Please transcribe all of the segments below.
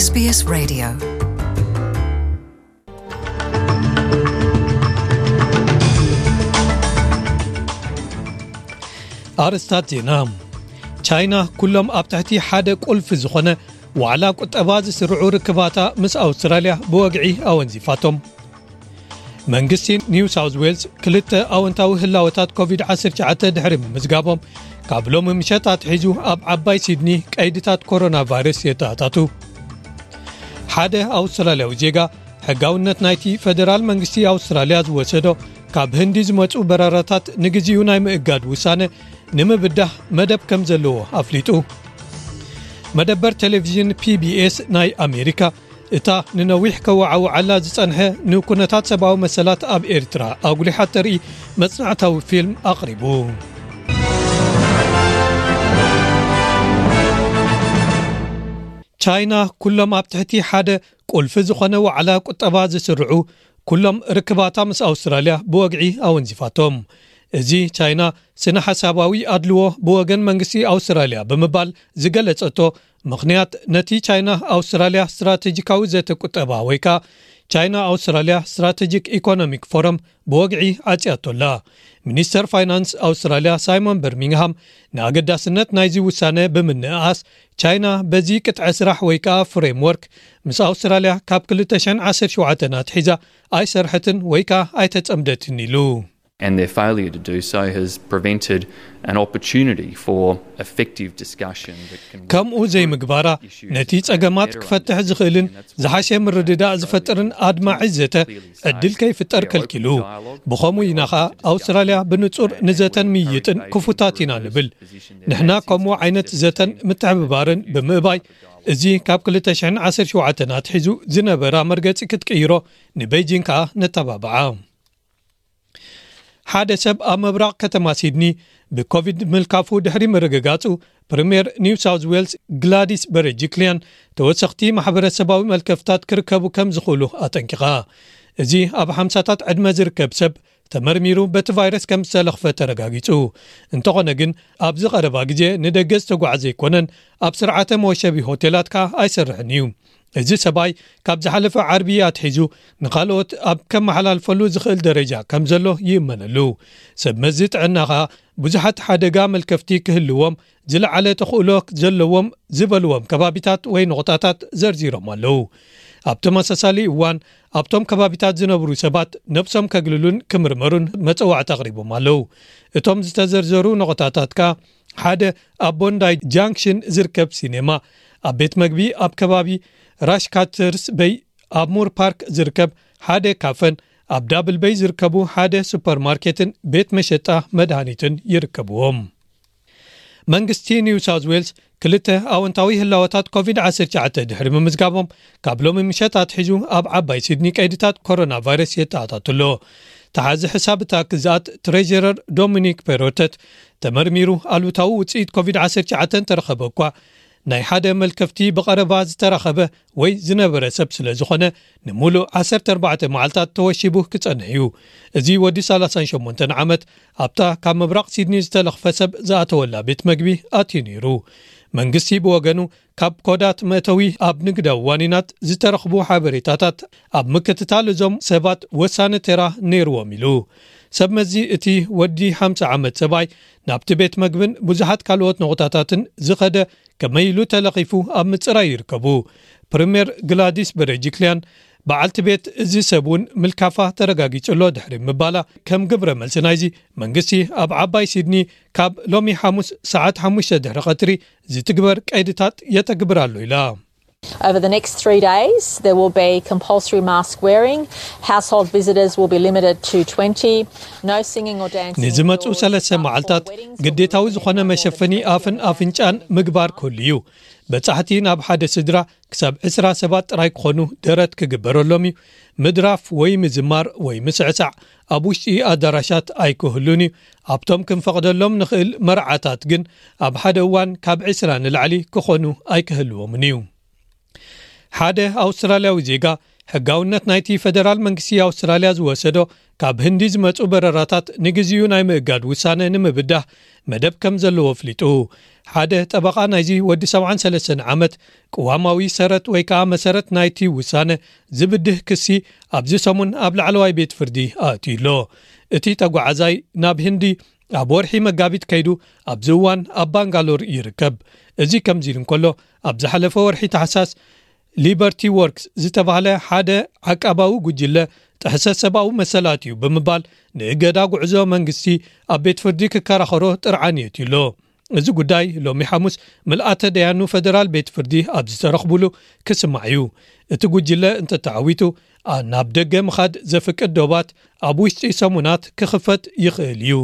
S B S Radio. ኣርእስታት ዜና። ቻይና ኩሎም ኣብ ትሕቲ ሓደ ቁልፊ ዝኾነ ዋዕላ ቁጠባ ዝስርዑ ርክባታ ምስ ኣውስትራልያ ብወግዒ ኣወንዚፋቶም። መንግስቲ ኒው ሳውዝ ዌልስ ክልተ ኣወንታዊ ህላወታት ኮቪድ ዓሰርተ ትሽዓተ ድሕሪ ምምዝጋቦም፣ ካብ ሎሚ ምሸት ኣትሒዙ ኣብ ዓባይ ሲድኒ ቀይድታት ኮሮና ቫይረስ የተኣታቱ። ሓደ ኣውስትራልያዊ ዜጋ ሕጋውነት ናይቲ ፈደራል መንግስቲ ኣውስትራልያ ዝወሰዶ ካብ ህንዲ ዝመጹ በረራታት ንግዚኡ ናይ ምእጋድ ውሳነ ንምብዳህ መደብ ከም ዘለዎ ኣፍሊጡ። መደበር ቴሌቪዥን ፒ ቢ ኤስ ናይ ኣሜሪካ፣ እታ ንነዊሕ ከወዓውዓላ ዝጸንሐ ንኩነታት ሰብኣዊ መሰላት ኣብ ኤርትራ ኣጉሊሓ እተርኢ መጽናዕታዊ ፊልም ኣቕሪቡ። ቻይና ኩሎም ኣብ ትሕቲ ሓደ ቁልፊ ዝኾነ ዋዕላ ቁጠባ ዝስርዑ ኩሎም ርክባታ ምስ ኣውስትራልያ ብወግዒ ኣወንዚፋቶም። እዚ ቻይና ስነ ሓሳባዊ ኣድልዎ ብወገን መንግስቲ ኣውስትራልያ ብምባል ዝገለጸቶ ምኽንያት፣ ነቲ ቻይና ኣውስትራልያ ስትራቴጂካዊ ዘተ ቁጠባ ወይ ከኣ ቻይና ኣውስትራልያ ስትራቴጂክ ኢኮኖሚክ ፎረም ብወግዒ ዓጽያቶ ኣላ። ሚኒስተር ፋይናንስ ኣውስትራልያ ሳይሞን በርሚንግሃም ንኣገዳስነት ናይዚ ውሳነ ብምንእኣስ፣ ቻይና በዚ ቅጥዐ ስራሕ ወይ ከኣ ፍሬምወርክ ምስ ኣውስትራልያ ካብ ክልተ ሽሕን ዓሰርተ ሸውዓተን ኣትሒዛ ኣይሰርሐትን ወይ ከኣ ኣይተጸምደትን ኢሉ። And their failure to do so has prevented an opportunity for effective discussion that can ከምኡ ዘይምግባራ ነቲ ጸገማት ክፈትሕ ዝኽእልን ዝሓሸ ምርድዳእ ዝፈጥርን ኣድማዒ ዘተ ዕድል ከይፍጠር ከልኪሉ። ብኸምኡ ኢና ኸኣ ኣውስትራልያ ብንጹር ንዘተን ምይይጥን ክፉታት ኢና ንብል። ንሕና ከምኡ ዓይነት ዘተን ምትሕብባርን ብምእባይ፣ እዚ ካብ ክልተ ሽሕን ዓሰርተ ሸውዓተን ኣትሒዙ ዝነበራ መርገጺ ክትቅይሮ ንቤጂንግ ከኣ ነተባብዓ። ሓደ ሰብ ኣብ ምብራቕ ከተማ ሲድኒ ብኮቪድ ምልካፉ ድሕሪ ምርግጋጹ፣ ፕሪምየር ኒው ሳውዝ ዌልስ ግላዲስ በረጅክልያን ተወሰኽቲ ማሕበረሰባዊ መልከፍታት ክርከቡ ከም ዝኽእሉ ኣጠንቂቓ። እዚ ኣብ ሓምሳታት ዕድመ ዝርከብ ሰብ ተመርሚሩ በቲ ቫይረስ ከም ዝተለኽፈ ተረጋጊጹ። እንተኾነ ግን፣ ኣብዚ ቀረባ ግዜ ንደገ ዝተጓዕዘ ኣይኮነን፣ ኣብ ስርዓተ መወሸቢ ሆቴላት ከኣ ኣይሰርሕን እዩ። እዚ ሰብኣይ ካብ ዝሓለፈ ዓርቢ ኣትሒዙ ንኻልኦት ኣብ ከመሓላልፈሉ ዝኽእል ደረጃ ከም ዘሎ ይእመነሉ። ሰብ መዚ ጥዕና ኸኣ ብዙሓት ሓደጋ መልከፍቲ ክህልዎም ዝለዓለ ተኽእሎ ዘለዎም ዝበልዎም ከባቢታት ወይ ነቑጣታት ዘርዚሮም ኣለዉ። ኣብ ተመሳሳሊ እዋን ኣብቶም ከባቢታት ዝነብሩ ሰባት ነብሶም ከግልሉን ክምርመሩን መጸዋዕታ ኣቕሪቦም ኣለዉ። እቶም ዝተዘርዘሩ ነቑጣታት ከኣ ሓደ ኣብ ቦንዳይ ጃንክሽን ዝርከብ ሲኔማ፣ ኣብ ቤት መግቢ ኣብ ከባቢ ራሽካተርስ በይ ኣብ ሙር ፓርክ ዝርከብ ሓደ ካፈን ኣብ ዳብል በይ ዝርከቡ ሓደ ሱፐርማርኬትን ቤት መሸጣ መድሃኒትን ይርከብዎም። መንግስቲ ኒው ሳውዝ ዌልስ ክልተ ኣወንታዊ ህላወታት ኮቪድ ዓሰርተ ትሽዓተ ድሕሪ ምምዝጋቦም፣ ካብ ሎሚ ምሸት ኣትሒዙ ኣብ ዓባይ ሲድኒ ቀይድታት ኮሮና ቫይረስ የተኣታቱ ኣሎ። ተሓዚ ሕሳብ እታ ግዝኣት ትሬጀረር ዶሚኒክ ፔሮተት፣ ተመርሚሩ ኣሉታዊ ውጽኢት ኮቪድ ዓሰርተ ትሽዓተ እንተረኸበ እኳ፣ ናይ ሓደ መልከፍቲ ብቐረባ ዝተረኸበ ወይ ዝነበረ ሰብ ስለ ዝኾነ፣ ንምሉእ ዓሰርተ ኣርባዕተ መዓልታት ተወሺቡ ክጸንሕ እዩ። እዚ ወዲ ሰላሳን ሸሞንተን ዓመት ኣብታ ካብ ምብራቕ ሲድኒ ዝተለኽፈ ሰብ ዝኣተወላ ቤት መግቢ ኣትዩ ነይሩ። መንግስቲ ብወገኑ፣ ካብ ኮዳት መእተዊ ኣብ ንግዳዊ ዋኒናት ዝተረኽቡ ሓበሬታታት ኣብ ምክትታል እዞም ሰባት ወሳኒ ተራ ነይርዎም ኢሉ። ሰብ መዚ እቲ ወዲ ሓምሳ ዓመት ሰብኣይ ናብቲ ቤት መግብን ብዙሓት ካልኦት ነቑጣታትን ዝኸደ ከመይ ኢሉ ተለኺፉ ኣብ ምጽራይ ይርከቡ። ፕሪምየር ግላዲስ በረጅክልያን፣ በዓልቲ ቤት እዚ ሰብ እውን ምልካፋ ተረጋጊጹ ኣሎ ድሕሪ ምባላ፣ ከም ግብረ መልሲ ናይዚ፣ መንግስቲ ኣብ ዓባይ ሲድኒ ካብ ሎሚ ሓሙስ ሰዓት ሓሙሽተ ድሕሪ ቀትሪ ዝትግበር ቀይድታት የተግብር ኣሎ ኢላ። Over the next three days, there will be compulsory mask wearing. Household visitors will be limited to twenty. No singing or dancing ንዝመጹ ሰለስተ መዓልታት ግዴታዊ ዝኾነ መሸፈኒ ኣፍን ኣፍንጫን ምግባር ክህሉ እዩ። በጻሕቲ ናብ ሓደ ስድራ ክሳብ ዕስራ ሰባት ጥራይ ክኾኑ ደረት ክግበረሎም እዩ። ምድራፍ ወይ ምዝማር ወይ ምስዕሳዕ ኣብ ውሽጢ ኣዳራሻት ኣይክህሉን እዩ። ኣብቶም ክንፈቕደሎም ንኽእል መርዓታት ግን ኣብ ሓደ እዋን ካብ ዕስራ ንላዕሊ ክኾኑ ኣይክህልዎምን እዩ። ሓደ ኣውስትራልያዊ ዜጋ ሕጋውነት ናይቲ ፈደራል መንግስቲ ኣውስትራልያ ዝወሰዶ ካብ ህንዲ ዝመጹ በረራታት ንግዚኡ ናይ ምእጋድ ውሳነ ንምብዳህ መደብ ከም ዘለዎ ኣፍሊጡ። ሓደ ጠበቓ ናይዚ ወዲ ሰብዓን ሰለስተን ዓመት ቅዋማዊ ሰረት ወይ ከኣ መሰረት ናይቲ ውሳነ ዝብድህ ክሲ ኣብዚ ሰሙን ኣብ ላዕለዋይ ቤት ፍርዲ ኣእትዩ ኣሎ። እቲ ተጓዓዛይ ናብ ህንዲ ኣብ ወርሒ መጋቢት ከይዱ ኣብዚ እዋን ኣብ ባንጋሎር ይርከብ። እዚ ከምዚ ኢሉ እንከሎ፣ ኣብ ዝሓለፈ ወርሒ ታሕሳስ ሊበርቲ ወርክስ ዝተባህለ ሓደ ዓቃባዊ ጉጅለ ጥሕሰት ሰብኣዊ መሰላት እዩ ብምባል ንእገዳ ጉዕዞ መንግስቲ ኣብ ቤት ፍርዲ ክከራኸሮ ጥርዓን የትዩ ኣሎ። እዚ ጉዳይ ሎሚ ሓሙስ ምልኣተ ደያኑ ፈደራል ቤት ፍርዲ ኣብ ዝተረኽቡሉ ክስማዕ እዩ። እቲ ጉጅለ እንተተዓዊቱ፣ ኣ- ናብ ደገ ምኻድ ዘፍቅድ ዶባት ኣብ ውሽጢ ሰሙናት ክኽፈት ይኽእል እዩ።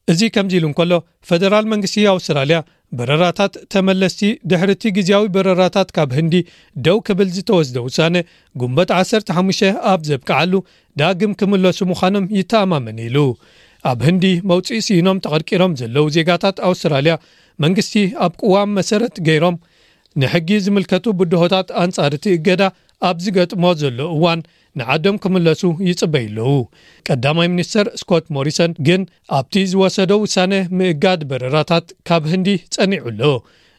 እዚ ከምዚ ኢሉ እንከሎ፣ ፈደራል መንግስቲ ኣውስትራልያ በረራታት ተመለስቲ ድሕርቲ ግዜያዊ በረራታት ካብ ህንዲ ደው ክብል ዝተወስደ ውሳነ ጉንበት ዓሰርተ ሓሙሽተ ኣብ ዘብቅዓሉ ዳግም ክምለሱ ምዃኖም ይተኣማመን ኢሉ። ኣብ ህንዲ መውፅኢ ስኢኖም ተቐርቂሮም ዘለዉ ዜጋታት ኣውስትራልያ መንግስቲ ኣብ ቅዋም መሰረት ገይሮም ንሕጊ ዝምልከቱ ብድሆታት ኣንጻር እቲ እገዳ ኣብ ዝገጥሞ ዘሎ እዋን ንዓዶም ክምለሱ ይጽበዩ ኣለዉ። ቀዳማይ ሚኒስተር ስኮት ሞሪሰን ግን ኣብቲ ዝወሰዶ ውሳነ ምእጋድ በረራታት ካብ ህንዲ ጸኒዑ ኣሎ።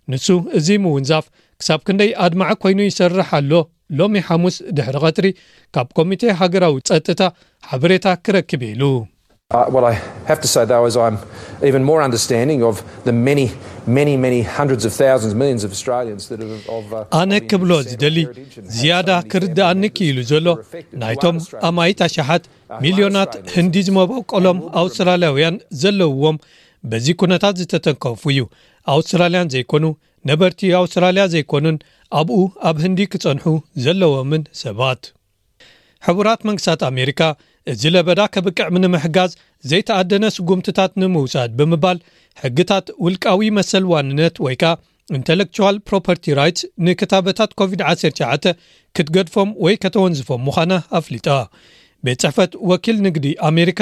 ንሱ እዚ ምውንዛፍ ክሳብ ክንደይ ኣድማዒ ኮይኑ ይሰርሕ ኣሎ፣ ሎሚ ሓሙስ ድሕሪ ቀትሪ ካብ ኮሚቴ ሃገራዊ ጸጥታ ሓበሬታ ክረክብ ኢሉ። Uh, what I have to say, though, is I'm even more understanding of the many, many, many hundreds of thousands, millions of Australians that have. Of, uh, ኣነ ክብሎ ዝደሊ ዝያዳ ክርድኣኒ ክኢሉ ዘሎ ናይቶም ኣማኢት ኣሽሓት ሚልዮናት ህንዲ ዝመበቆሎም ኣውስትራልያውያን ዘለውዎም በዚ ኩነታት ዝተተንከፉ እዩ። ኣውስትራልያን ዘይኮኑ ነበርቲ ኣውስትራልያ ዘይኮኑን ኣብኡ ኣብ ህንዲ ክጸንሑ ዘለዎምን ሰባት። ሕቡራት መንግስታት ኣሜሪካ እዚ ለበዳ ከብቅዕ ንምሕጋዝ ዘይተኣደነ ስጉምትታት ንምውሳድ ብምባል ሕግታት ውልቃዊ መሰል ዋንነት ወይ ከኣ ኢንተሌክቹዋል ፕሮፐርቲ ራይትስ ንክታበታት ኮቪድ ዓሰርተ ትሽዓተ ክትገድፎም ወይ ከተወንዝፎም ምዃና ኣፍሊጣ። ቤት ጽሕፈት ወኪል ንግዲ ኣሜሪካ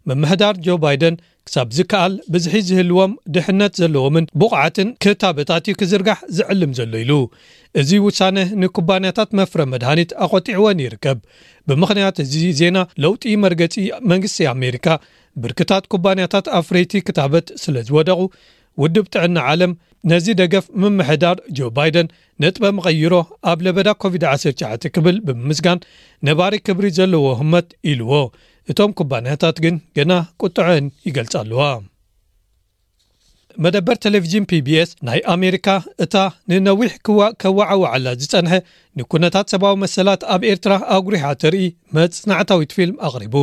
ምምሕዳር ጆ ባይደን ክሳብ ዝከኣል ብዝሒ ዝህልዎም ድሕነት ዘለዎምን ብቑዓትን ክታበታት እዩ ክዝርጋሕ ዝዕልም ዘሎ ኢሉ። እዚ ውሳነ ንኩባንያታት መፍረ መድሃኒት ኣቖጢዕወን ይርከብ። ብምኽንያት እዚ ዜና ለውጢ መርገጺ መንግስቲ ኣሜሪካ ብርክታት ኩባንያታት ኣፍረይቲ ክታበት ስለ ዝወደቑ ውድብ ጥዕና ዓለም ነዚ ደገፍ ምምሕዳር ጆ ባይደን ነጥበ መቐይሮ ኣብ ለበዳ ኮቪድ ዓሰርተ ትሽዓተ ክብል ብምምስጋን ነባሪ ክብሪ ዘለዎ ህመት ኢልዎ። እቶም ኩባንያታት ግን ገና ቁጥዐን ይገልጻ ኣለዋ። መደበር ቴሌቪዥን ፒቢኤስ ናይ ኣሜሪካ እታ ንነዊሕ ክዋ- ከዋዓውዓላ ዝጸንሐ ንኩነታት ሰብኣዊ መሰላት ኣብ ኤርትራ ኣጉሪሓ ተርኢ መጽናዕታዊት ፊልም ኣቕሪቡ።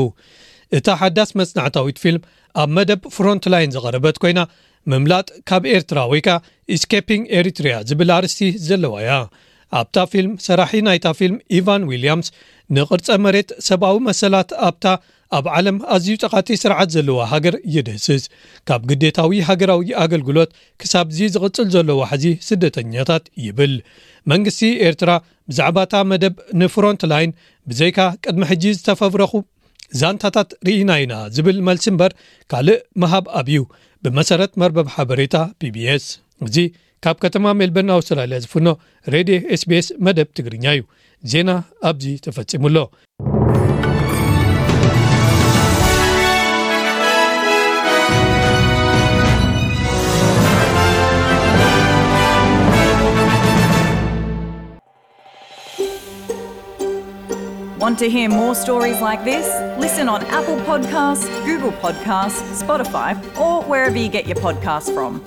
እታ ሓዳስ መጽናዕታዊት ፊልም ኣብ መደብ ፍሮንትላይን ዝቐረበት ኮይና ምምላጥ ካብ ኤርትራ ወይ ከኣ ኢስኬፒንግ ኤሪትሪያ ዝብል ኣርእስቲ ዘለዋ እያ። ኣብታ ፊልም ሰራሒ ናይታ ፊልም ኢቫን ዊልያምስ ንቕርጸ መሬት ሰብኣዊ መሰላት ኣብታ ኣብ ዓለም ኣዝዩ ጸቓጢ ስርዓት ዘለዋ ሃገር ይድህስስ። ካብ ግዴታዊ ሃገራዊ ኣገልግሎት ክሳብዚ ዝቕጽል ዘሎ ዋሕዚ ስደተኛታት ይብል። መንግስቲ ኤርትራ ብዛዕባታ መደብ ንፍሮንት ላይን ብዘይካ ቅድሚ ሕጂ ዝተፈብረኹ ዛንታታት ርኢና ኢና ዝብል መልሲ እምበር ካልእ ምሃብ ኣብዩ፣ ብመሰረት መርበብ ሓበሬታ ፒቢኤስ። እዚ ካብ ከተማ ሜልበርን ኣውስትራልያ ዝፍኖ ሬድዮ ኤስቢኤስ መደብ ትግርኛ እዩ። ዜና ኣብዚ ተፈጺሙ ኣሎ። Want to hear more stories like this? Listen on Apple Podcasts, Google Podcasts, Spotify, or wherever you get your podcasts from.